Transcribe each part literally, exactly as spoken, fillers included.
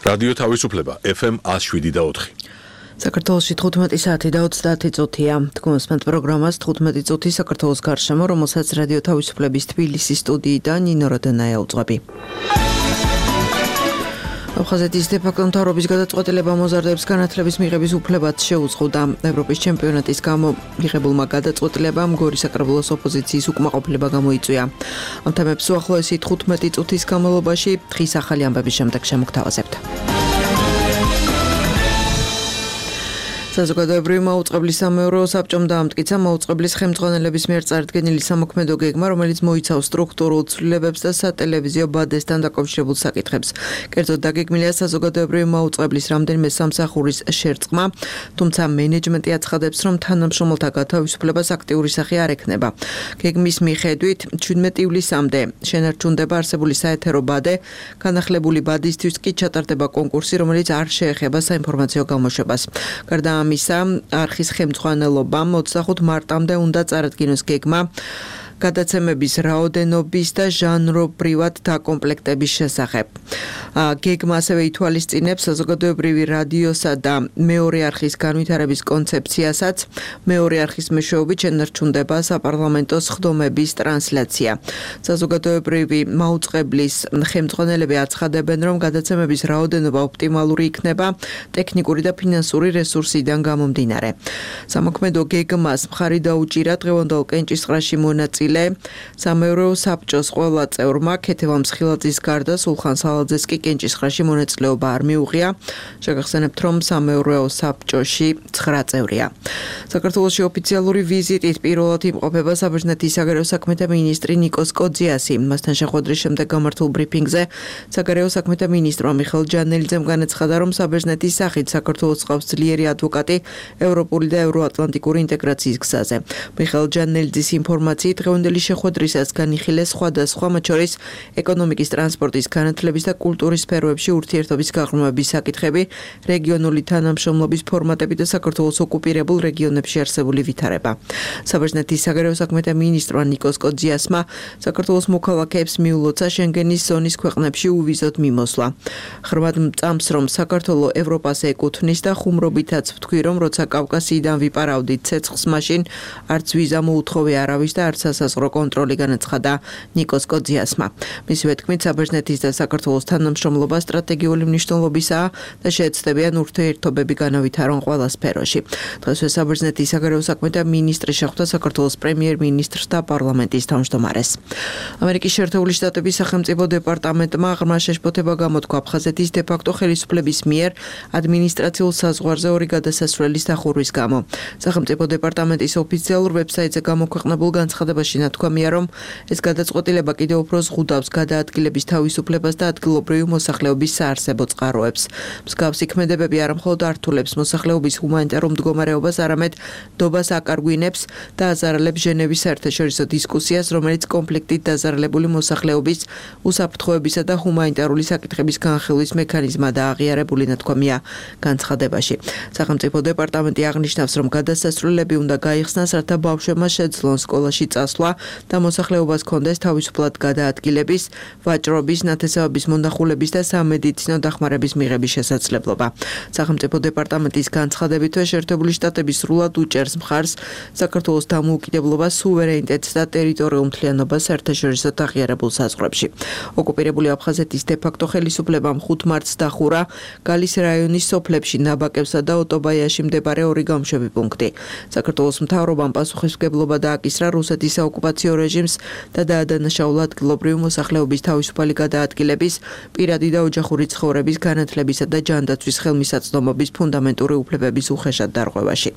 რადიო თავისუფლება ეფ ემ one oh seven და four. საქართველოში თხუთმეტი საათი და ოცდაათი წუთია. Თქვენსმენთ პროგრამას თხუთმეტი წუთი საქართველოს გარშემო, რომელსაც რადიო თავისუფლების თბილისის სტუდიიდან ნინო როდენაია უძღვები. აფხაზეთის დე-ფაქტო მთავრობის გადაწყვეტილება მოზარდებს განათლების მიღების უფლებაც შეუწყოდა. ევროპის ჩემპიონატის გამო მიღებულმა გადაწყვეტილებამ გორის საკრებულოს ოპოზიციის უკმაყოფილება გამოიწვია. ამ თემებს უახლოესი თხუთმეტი წუთის განმავლობაში დღის ახალი ამბების შემდეგ შემოგთავაზებთ. საზოგადოებრივი მაუწყებლის სამეურვეო საბჭომ დაამტკიცა მაუწყებლის ხელმძღვანელების მიერ წარდგენილი სამოქმედო გეგმა, რომელიც მოიცავს სტრუქტურულ ცვლილებებს და სატელევიზიო ბადესთან დაკავშირებულ საკითხებს. კერძოდ დაგეგმილია საზოგადოებრივი მაუწყებლის რამდენიმე სამსახურის შერწყმა, თუმცა მენეჯმენტი აცხადებს, რომ თანამშრომელთა გათავისუფლებას აქტიური სახე არ ექნება. გეგმის მიხედვით შვიდმეტი ივლისამდე შენარჩუნდება არსებული საეთერო ბადე, განახლებული ბადისთვის კი ჩატარდება კონკურსი, რომელიც არ შეეხება საინფორმაციო გამოშვებას. გარდა ამისა, არხის ხელმძღვანელობამ ოცდახუთ მარტამდე უნდა წარადგინოს გეგმა გადაცემების რაოდენობის და ჟანრობრივად დაკომპლექტების შესახებ. გეგმა ასევე ითვალისწინებს საზოგადოებრივი რადიოსა და მეორე არხის განვითარების კონცეფციასაც. მეორე არხის მეშვეობით შენარჩუნდება საპარლამენტო სხდომების ტრანსლაცია. საზოგადოებრივი მაუწყებლის ხელმძღვანელები აცხადებენ, რომ გადაცემების რაოდენობა ოპტიმალური იქნება ტექნიკური და ფინანსური რესურსიდან გამომდინარე. სამოქმედო გეგმას მხარი დაუჭირა დღევანდელ კენჭისყრაში მონაწილე სამეურვეო საბჭოს ყველა წევრმა. ქეთევან მსხილაძის გარდა სულხან სალაძეს კი კენჭისყრაში მონაწილეობა არ მიუღია. შეგახსენებთ, რომ სამეურვეო საბჭოში ცხრა წევრია. საქართველოში ოფიციალური ვიზიტით პირველად იმყოფება საბერძნეთის საგარეო საქმეთა მინისტრი ნიკოს კოძიასი. მასთან შეხვედრის შემდეგ გამართულ ბრიფინგზე საგარეო საქმეთა მინისტრმა მიხეილ ჯანელიძემ განაცხადა, რომ საბერძნეთის სახით საქართველოს ყავს ძლიერი ადვოკატი ევროპული და ევროატლანტიკური ინტეგრაციის გზაზე. მიხეილ ჯანელიძის ინფორმაციით დღევანდელი შეხვედრისას განიხილეს სხვადასხვა, მათ შორის ეკონომიკის, ტრანსპორტის, განათლების და კულტურის სფეროებში ურთიერთობის გაღრმავების საკითხები, რეგიონული თანამშრომლობის ფორმატები და საქართველოს ოკუპირებულ რეგიონებში არსებული ვითარება. საბერძნეთის საგარეო საქმეთა მინისტრმა ნიკოს კოძიასმა საქართველოს მოქალაქეებს მიულოცა შენგენის ზონის ქვეყნებში უვიზოდ მიმოსვლა. ხრმად მწამს, რომ საქართველო ევროპას ეკუთვნის და ხუმრობითაც ვთქვი, რომ როცა კავკასიიდან ვიპარავდით ცეცხლს, მაშინ არც ვიზა მოუთხოვე არავის და არც სასაზღვრო კონტროლი, განაცხადა ნიკოს კოძიასმა. მისივე თქმით, საბერძნეთის და საქართველოს თანამშრომლობა სტრატეგიული მნიშვნელობისაა და შეეცდებიან ურთიერთობები განავითარონ ყველა სფეროში. დღესვე საბერძნეთის საგარეო საქმეთა მინისტრი შეხვდა საქართველოს პრემიერ-მინისტრს და პარლამენტის თავმჯდომარეს. ამერიკის შეერთებული შტატების სახელმწიფო დეპარტამენტმა ღრმა შეშფოთება გამოთქვა აფხაზეთის დე-ფაქტო ხელისუფლების მიერ ადმინისტრაციულ საზღვარზე ორი გადასასვლელის დახურვის გამო. სახელმწიფო დეპარტამენტის ოფიციალურ ვებსაიტზე გამოქვეყნებულ განცხადებაში ნათქვამია, რომ ეს გადაწყვეტილება კიდევ უფრო ზღუდავს გადაადგილების თავისუფლებას და ადგილობრივი მოსახლეობის საარსებო წყაროებს. მსგავსი ქმედებები არა მხოლოდ ართულებს მოსახლეობის ჰუმანიტარულ მდგომარეობას, არამედ დობას აკარგვინებს და აზარალებს ჟენევის საერთაშორისო დისკუსიას, რომელიც კონფლიქტით დაზარალებული მოსახლეობის უსაფრთხოებისა და ჰუმანიტარული საკითხების განხილვის მექანიზმა და აღიარებული, ნათქვამია განცხადებაში. სახელმწიფო დეპარტამენტი აღნიშნავს, რომ გადასასვლელები უნდა გაიხსნას, რათა ბავშვებმა შეძლონ სკოლაში წასვლა და მოსახლეობას ჰქონდეს თავისუფლად გადაადგილების, ვაჭრობის, ნათესავების მონახულების და სამედიცინო დახმარების მიღების შესაძლებლობა. სახელმწიფო დეპარტამენტის განცხადებითვე შეერთებული შტატები სრულად უჭერს მხარს საქართველოს დამოუკიდებლობას, სუვერენიტეტს და ტერიტორიულ მთლიანობას საერთაშორისო აღიარებულ საზღვრებში. ოკუპირებული აფხაზეთის დე-ფაქტო ხელისუფლებამ ხუთ მარტს დახურა გალის რაიონის სოფლებში ნაბაკებსა და ოტობაიაში მდებარე ორი გამშვები პუნქტი. საქართველოს მთავრობამ პასუხისმგებლობა დააკისრა რუსეთის საოკუპაციო რეჟიმს და დაადანაშაულა ადგილობრივი მოსახლეობის თავისუფალი გადაადგილების, პირადი და ოჯახური ცხოვრების, განათლებისა და ჯანდაცვის ხელმისაწვდომობის ფუნდამენტური უფლებების უხეშად დარღვევაში.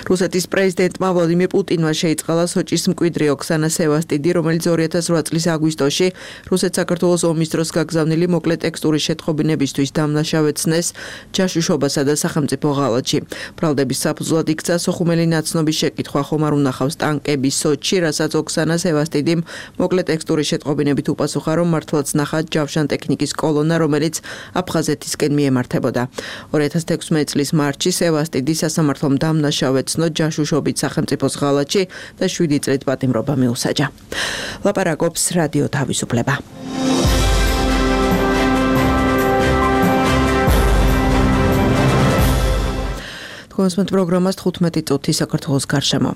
რუსეთის პრეზიდენტმა ვლადიმირ პუტინმა შეიწყალა სოჭის მკვიდრი ოქსანა სევასტიდი, რომელიც ორი ათას რვა წლის აგვისტოში რუსეთ-საქართველოს ომის დროს გაგზავნილი მოკლე ტექსტური შეტყობინებისთვის დამნაშავეცნეს ჯაშუშობასა და სახელმწიფო ღალატში. ბრალდების საფუძვლად იქცა სოხუმელი ნაცნობის შეკითხვა, ხომ არ უნახავს ტანკები სოჭში, რასაც ოქსანა სევასტიდიმ მოკლე ტექსტური შეტყობინებით უპასუხა, რომ მართლაც ნახათ ჯავშან ტექნიკის კოლონა, რომელიც აფხაზეთისკენ მიემართებოდა. ორი ათას თექვსმეტი წლის მარტში სევასტიდი სასამართლომ დამნაშავეცნო ჯაშუშობით სახელმწიფოს ღალატში და შვიდი წლით პატიმრობა მიუსაჯა. ლაპარაკობს რადიო თავისუფლება. თქვენს პროგრამას თხუთმეტი წუთი საქართველოს გარშემო.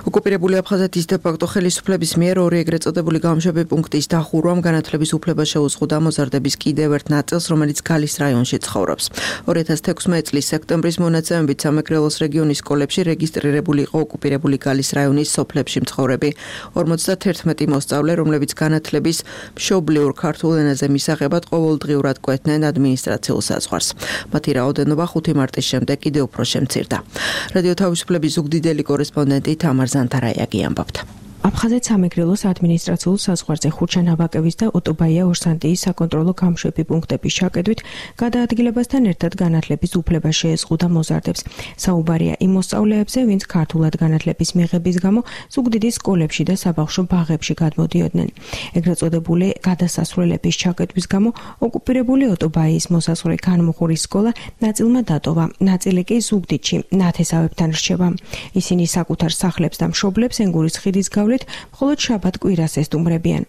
ოკუპირებული აფხაზეთის დე-ფაქტო ხელისუფლების მიერ ორი ეგრეთ წოდებული გამშვები პუნქტის დახურვამ განათლების უფლება შეუზღუდა მოზარდების კიდევ ერთ ნაწილს, რომელიც გალის რაიონში ცხოვრობს. ორი ათას თექვსმეტი წლის სექტემბრის მონაცემებით სამეგრელოს რეგიონის სკოლებში რეგისტრირებული იყო ოკუპირებული გალის რაიონის სოფლებში მცხოვრები ორმოცდაათი მოსწავლე, რომლებიც განათლების მშობლიურ ქართულ ენაზე მისაღებად ყოველდღიურად კვეთდნენ ადმინისტრაციულ საზღვარს. მათი რაოდენობა ხუთი მარტის შემდეგ კიდევ უფრო შემცირდა. რადიო თავისუფლების ზუგდიდელი კორესპონდენტი თამარ ზანთარაიაგი ამბობდა. აფხაზეთ სამეგრელოს ადმინისტრაციულ საზღვარზე ხურჩა ნაბაკევის და ოტობაია ორსანტიის საკონტროლო გამშვები პუნქტების ჩაკეტვით გადაადგილებასთან ერთად განათლების უფლება შეეზღუდა მოზარდებს. საუბარია იმ მოსწავლეებზე, ვინც ქართულად განათლების მიღების გამო ზუგდიდის სკოლებში და საბავშვო ბაღებში გადმოდიოდნენ. ეგრეთ წოდებული გადასასვლელების ჩაკეტვის გამო ოკუპირებული ოტობაიის მოსასვლელი განმუხურის სკოლა ნაწილმა დატოვა, ნაწილი კი ზუგდიდში ნათესავებთან რჩება. ისინი საკუთარ სახლებს და მშობლებს ენგურის ხიდის გავლით მხოლოდ შაბათ კვირას ესტუმრებიან.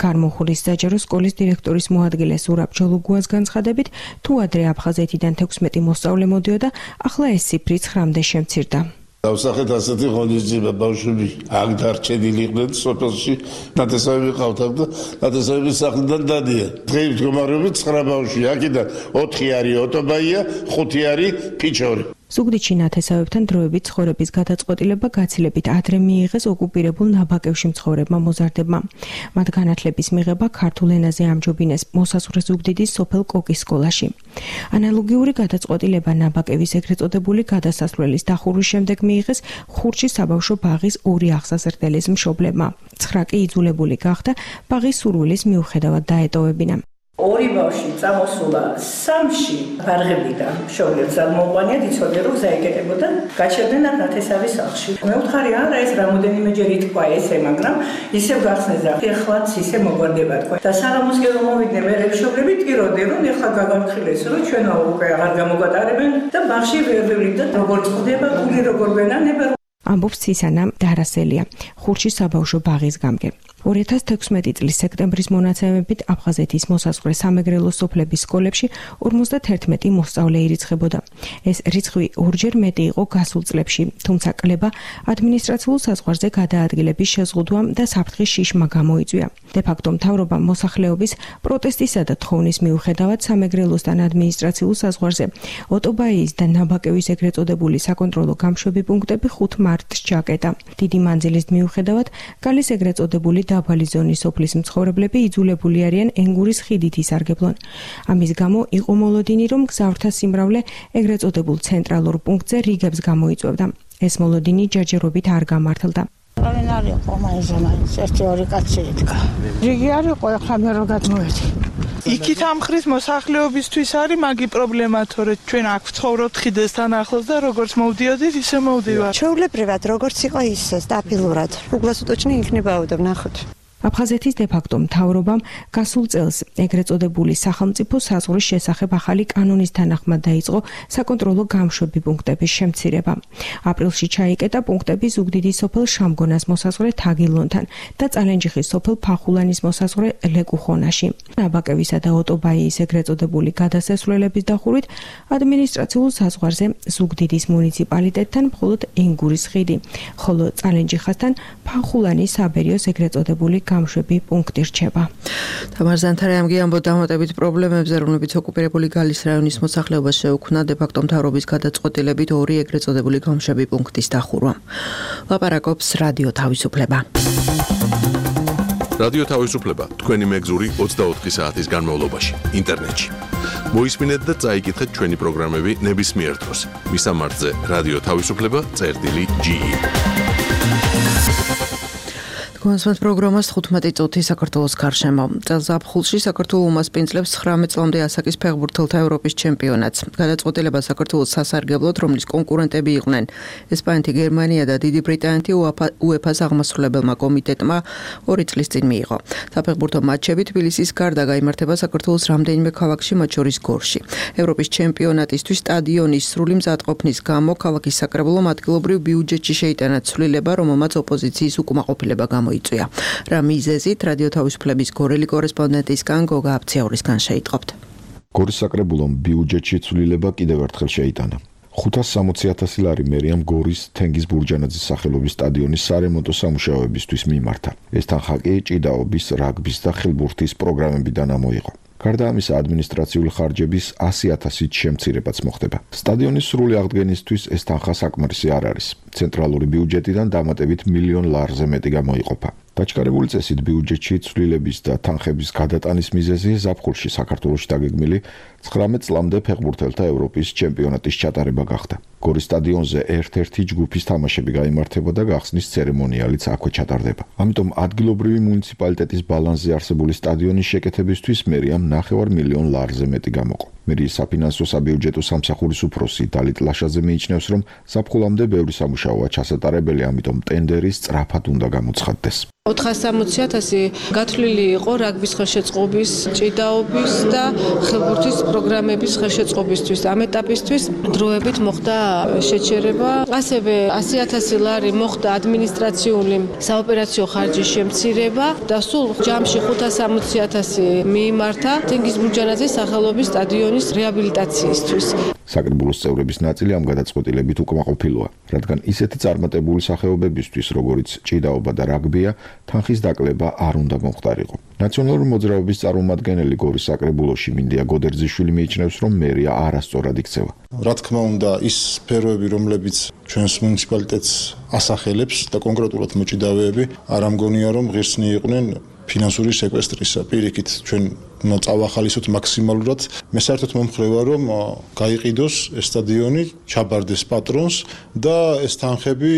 განმუხურის საჯარო სკოლის დირექტორის მოადგილე ზურაბ ჯოლუგუას განცხადებით, თუ ადრე აფხაზეთიდან თექვსმეტი მოსწავლე მოდიოდა, ახლა ეს ციფრი ცხრამდე შემცირდა. დავსახეთ ასეთი ღონისძიება, ბავშვები აქ დარჩენილი იყვნენ სოფელში, ნათესავები ყავდათ და ნათესავების სახლიდან დადიან. დღეის მდგომარეობით ცხრა ბავშვი, აქედან ოთხი არის ოტობაია, ხუთი არის ფიჩორი. ზუგდიდში ნათესავებთან დროებით ცხოვრების გადაწყვეტილება გაცილებით ადრე მიიღეს ოკუპირებულ ნაბაკევში მცხოვრებმა მოზარდებმა. მათ განათლების მიღება ქართულ ენაზე ამჯობინეს მოსასვლელ ზუგდიდის სოფელ კოკის სკოლაში. ანალოგიური გადაწყვეტილება ნაბაკევის ეგრეთ წოდებული გადასასვლელის დახურვის შემდეგ მიიღეს ხურჩის საბავშვო ბაღის ორი აღსაზრდელის მშობლებმა. ცხრა კი იძულებული გახდა ბაღის სურვილის მიუხედავად დაეტოვებინა. ორი ბავშვი წამოსულა სამში ბარღებიდან მშობლებს აღმოყვანიათ, იცოდნენ რომ გზა ეკეტებოდა, გაჩერდნენ აქ ნათესავის სახლში. მე ვთხარი არა ეს რამოდენიმეჯერ ითქვა ესე, მაგრამ ისევ გახსნეს და ეხლაც ისე მოგვარდება თქვა. და საღამოსკენ რომ მოვიდნენ მე მშობლები ტიროდნენ რომ ეხლა გაგარხილეს რომ ჩვენო უკვე აღარ გამოგვატარებენ და ბაღში ვერ ვივლით და როგორ წდება, გული როგორ ვენანება. ამბობს ცისანა დარასელია, ხურჩის საბავშვო ბაღის გამგე. ორი ათას თექვსმეტი წლის სექტემბრის მონაცემებით აფხაზეთის მოსაზღვრე სამეგრელოს სოფლების სკოლებში ორმოცდაათი მოსწავლე ირიცხებოდა. ეს რიცხვი ორჯერ მეტი იყო გასულ წლებში, თუმცა კლება ადმინისტრაციულ საზღვარზე გადაადგილების შეზღუდვამ და საფრთხის შიშმა გამოიწვია. დე-ფაქტო მთავრობამ მოსახლეობის პროტესტისა და თხოვნის მიუხედავად სამეგრელოსთან ადმინისტრაციულ საზღვარზე ოტობაიის და ნაბაკევის ეგრეთ წოდებული საკონტროლო გამშვები პუნქტები ხუთ მარტს ჩაკეტა. დიდი მანძილის მიუხედავად გალის ეგრეთ წოდებული დაბალი ზონის სოფლის მცხოვრებლები იძულებული არიან ენგურის ხიდით ისარგებლონ. ამის გამო იყო მოლოდინი, რომ გზავრთა სიმრავლე ეგრეთ წოდებულ ცენტრალურ პუნქტზე რიგებს გამოიწვევდა. ეს მოლოდინი ჯერჯერობით არ გამართლდა. რამე არის ყომაიზა მაინც ერთი ორი კაცი იდგა. რიგი არ იყო, ახლა მე რო გადმოვედი. იქით ამხრის მოსახლეობისთვის არის მაგი პრობლემა, თორე ჩვენ აქ ვცხოვრობთ ხიდესთან ახლოს და როგორც მოვდიოდით, ისე მოვდივართ. ჩვეულებრივად როგორც იყო ისე სტაბილურად. უგლასუტოჩნი იქნებაოდა ნახოთ. აფხაზეთის დე-ფაქტო მთავრობამ გასულ წელს ეგრეთ წოდებული სახელმწიფო საზღვრის შესახებ ახალი კანონის თანახმად დაიწყო საკონტროლო გამშვები პუნქტების შემცირება. აპრილში ჩაიკეტა პუნქტები ზუგდიდის სოფელ შამგონას მოსაზღვრე თაგილონთან და წალენჯიხის სოფელ ფახულანის მოსაზღვრე ლეკუხონაში. ნაბაკევისა და ოტობაიის ეგრეთ წოდებული გადასასვლელების დახურვით ადმინისტრაციულ საზღვარზე ზუგდიდის მუნიციპალიტეტთან მხოლოდ ენგურის ხიდი, ხოლო წალენჯიხასთან ფახულანის საბერიოს ეგრეთ წოდებული გამშვები პუნქტი რჩება. თამარ ზანთარაიამგი ამბობდა დამატებით პრობლემებზე, რომლებიც ოკუპირებული გალის რაიონის მოსახლეობას შეუქმნა დე-ფაქტო მთავრობის გადაწყვეტილებით ორი ეგრეთ წოდებული გამშვები პუნქტის დახურვა. ლაპარაკობს რადიო თავისუფლება. რადიო თავისუფლება თქვენი მეგზური ოცდაოთხი საათის განმავლობაში ინტერნეტში. მოისმინეთ და წაიკითხეთ ჩვენი პროგრამები ნებისმიერ დროს. მისამართზე რადიო თავისუფლება წერტილი ჯი ი. კონსვენს პროგრამას თხუთმეტი წუთი საქართველოს გარშემო. წელს ზაფხულში საქართველო უმასპინძლებს ცხრამეტ წლამდე ასაკის ფეხბურთელთა ევროპის ჩემპიონატს. გადაწყვეტილება საქართველოს სასარგებლოდ, რომლის კონკურენტები იყვნენ ესპანეთი, გერმანია და დიდი ბრიტანეთი უეფა-ს აღმასრულებელმა კომიტეტმა ორი წლის წინ მიიღო. საფეხბურთო მატჩები თბილისის გარდა გაიმართება საქართველოს რამდენიმე ქალაქში, მათ შორის გორში. ევროპის ჩემპიონატისთვის სტადიონის სრული მზადყოფნის გამო ქალაქის საკრებულომ ადგილობრივ ბიუჯეტში შეიტანა ცვლილება, რომელმაც ოპოზიციის უკმაყოფილება გამოიწვია. რა მიზეზით რადიო თავისუფლების გორელი კორესპონდენტისგან გოგა აფციაურისგან შეიტყობთ. გორის საკრებულომ ბიუჯეტში ცვლილება კიდევ ერთხელ შეიტანა. ხუთას სამოცი ათასი ლარი მერიამ გორის თენგიზ ბურჯანაძის სახელობის სტადიონის სარემონტო სამუშაოებისთვის მიმართა. ეს თანხა კი ჭიდაობის, რაგბის და ხილბურთის პროგრამებიდან ამოიღო. გარდა ამისა, ადმინისტრაციული ხარჯების ასი ათასით შემცირებაც მოხდება. სტადიონის სრული აღდგენისთვის ეს თანხა საკმარისი არ არის. ცენტრალური ბიუჯეტიდან დამატებით მილიონ ლარზე მეტი გამოიყოფა. დაჩქარებული წესით ბიუჯეტში ცვლილების და თანხების გადატანის მიზეზი ზაფხულში საქართველოში დაგეგმილი ცხრამეტ წლამდე ფეხბურთელთა ევროპის ჩემპიონატის ჩატარება გახდა. გორის სტადიონზე ერთ-ერთი ჯგუფის თამაშები გაიმართებოდა, გახსნის ცერემონიალიც აქვე ჩატარდება. ამიტომ ადგილობრივი მუნიციპალიტეტის ბალანსზე არსებული სტადიონის შეკეთებისთვის მერიამ ნახევარ მილიონ ლარზე მეტი გამოყო. მერიის საფინანსო საბიუჯეტო სამსახურის უფროსი დალით ლაშაძე მიიჩნევს, რომ ზაფხულამდე ბევრი სამუშაოა ჩასატარებელი, ამიტომ ტენდერი სწრაფად უნდა გამოცხადდეს. ოთხას სამოცი ათასი გათვლილი იყო რაგბის ხელშეწყობის, ჭიდაობის და ხილბურთის პროგრამების ხელშეწყობისთვის. ამ ეტაპისთვის დროებით მოხდა შეჩერება. ასევე ასი ათასი ლარი მოხდა ადმინისტრაციული საოპერაციო ხარჯის შემცირება და სულ ჯამში ხუთას სამოცი ათასი მიიმართა თენგიზ ბურჯანაძის სახელობის სტადიონის რეაბილიტაციისთვის. საკრებულოს წევრების ნაწილი ამ გადაწყვეტილებით უკმაყოფილოა, რადგან ისეთი წარმატებული სახეობებისთვის, როგორიც ჭიდაობა და რაგბია, თანხის დაკლება არ უნდა მომხდარიყო. ნაციონალური მოძრაობის წარმომადგენელი გორის საკრებულოში მინდია გოდერძიშვილი მიიჩნევს, რომ მერია არასწორად იქცევა. რა თქმა უნდა, ის სფეროები, რომლებიც ჩვენს მუნიციპალიტეტს ასახელებს და კონკრეტულად მოჭიდავეები, არ ამგონია, რომ ღირსნი იყვნენ ფინანსური სეკვესტრისა. პირიქით, ჩვენ უნდა წავახალისოთ მაქსიმალურად. მე საერთოდ მომხრევა, რომ გაიყიდოს ეს სტადიონი, ჩაბარდეს პატრონს და ეს თანხები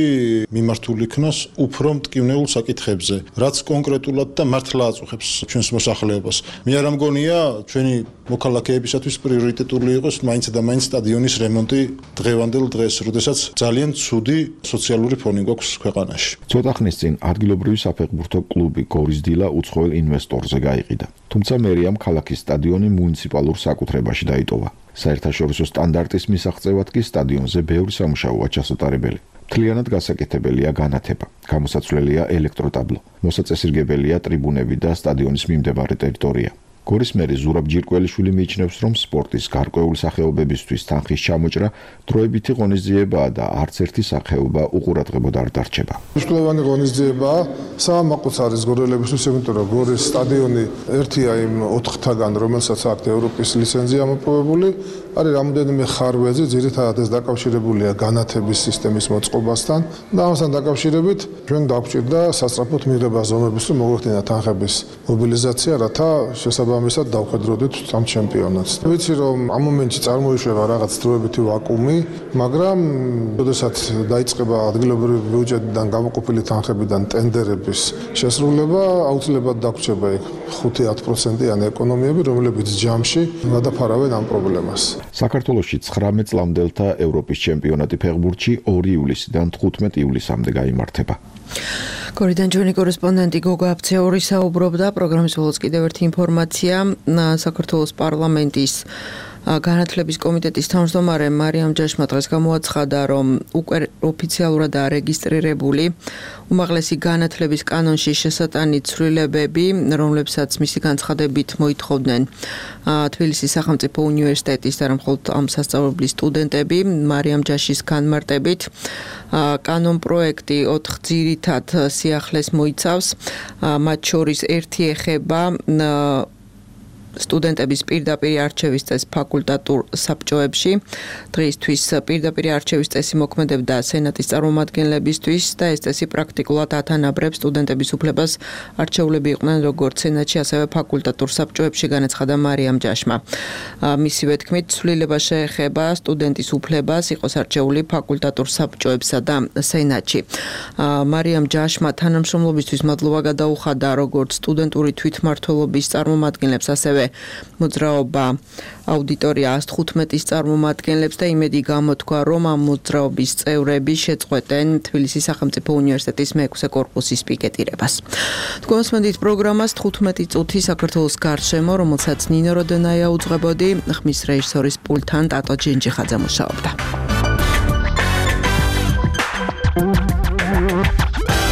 მიმართული იქნას უფრო მტკივნეულ საკითხებზე, რაც კონკრეტულად და მართლა აწუხებს ჩვენს მოსახლეობას. მე არ ამგონია, ჩვენი მოქალაქეებისათვის პრიორიტეტული იყოს მაინც და მაინც სტადიონის რემონტი დღევანდელ დღეს, როდესაც ძალიან ცუდი სოციალური ფონი გვაქვს ქვეყანაში. ცოტა ხნის წინ ადგილობრივი საფეხბურთო კლუბი გორის დილა უცხოელ ინვესტორზე გაიყიდა. თუმცა მერიამ ქალაქის სტადიონი მუნიციპალურ საკუთრებაში დაიტოვა. საერთაშორისო სტანდარტის მისაღწევად კი სტადიონზე ბევრი სამუშაოა ჩასატარებელი. მთლიანად გასაკეთებელია განათება, გამოსაცვლელია ელექტროტაბლო, მოსაწესრიგებელია ტრიბუნები და სტადიონის მიმდებარე ტერიტორია. გორის მერი ზურაბ ჯირკველიშვილი მიიჩნევს, რომ სპორტის გარკვეული სახეობებისთვის თანხის ჩამოჭრა დროებითი ღონისძიებაა და არც ერთი სახეობა უყურადღებოდ არ დარჩება. მნიშვნელოვანი ღონისძიებაა საამაყოც არის გორელებისთვის, იმიტომ რომ გორის სტადიონი ერთია იმ ოთხთაგან, რომელსაც აქვს ევროპის ლიცენზია მოპოვებული, არის რამოდენიმე ხარვეზე, ძირითადად ეს დაკავშირებულია განათების სისტემის მოწყობასთან და ამასთან დაკავშირებით ჩვენ დაგვჭირდა სასწრაფოდ მიღება ზომების, რომ მოგვეხდინა თანხების მობილიზაცია, რათა შესაბამისად დავხედროდეთ ამ ჩემპიონატს. ვიცი რომ ამ მომენტში წარმოიშვება რაღაც დროებითი ვაკუუმი, მაგრამ როდესაც დაიწყება ადგილობრივი ბიუჯეტიდან გამოყოფილი თანხებიდან ტენდერების შესრულება, აუცილებლად დაგვრჩება იქ ხუთი ათ პროცენტიანი ეკონომიები, რომლებიც ჯამში გადაფარავენ ამ პრობლემას. საქართველოში ცხრამეტ წლამდელთა ევროპის ჩემპიონატი ფეხბურთში ორი ივლისიდან თხუთმეტ ივლისამდე გაიმართება. გორიდან ჩვენი კორესპონდენტი გოგა აფცეური საუბრობდა. პროგრამის ბოლოს კიდევ ერთი ინფორმაცია. საქართველოს პარლამენტის განათლების კომიტეტის თავმჯდომარე მარიამ ჯაშმა დღეს გამოაცხადა, რომ უკვე ოფიციალურადაა რეგისტრირებული უმაღლესი განათლების კანონში შესატანი ცვლილებები, რომლებსაც მისი განცხადებით მოითხოვდნენ თბილისის სახელმწიფო უნივერსიტეტის და მხოლოდ ამ სასწავლებლის სტუდენტები. მარიამ ჯაშის განმარტებით კანონ პროექტი ოთხ ძირითად სიახლეს მოიცავს, მათ შორის ერთი ეხება სტუდენტების პირდაპირ არჩევის წესს ფაკულტატურ საბჭოებში. დღეისთვის პირდაპირ არჩევის წესი მოქმედებდა სენატის წარმომადგენლებისთვის და ეს წესი პრაქტიკულად ათანაბრებს სტუდენტების უფლებას არჩეულები იყვნენ როგორც სენატში, ასევე ფაკულტატურ საბჭოებში, განაცხადა მარიამ ჯაშმა. მისივე თქმით, ცვლილება შეეხება სტუდენტის უფლებას იყოს არჩეული ფაკულტატურ საბჭოებსა და სენატში. მარიამ ჯაშმა თანამშრომლობისთვის მადლობა გადაუხადა როგორც სტუდენტური თვითმმართველობის წარმომადგენლებს, ასევე მოძრაობა აუდიტორია ას თხუთმეტის წარმომადგენლებს და იმედი გამოთქვა, რომ ამ მოძრაობის წევრები შეწყვეტენ თბილისის სახელმწიფო უნივერსიტეტის მეექვსე კორპუსის პიკეტირებას. თქვენს მოდით პროგრამას თხუთმეტი წუთი საქართველოს გარშემო, რომელსაც ნინო როდენაია უძღვებოდი, ხმის რეჟისორის პულტთან ტატო ჯენჯიხაძე მუშაობდა.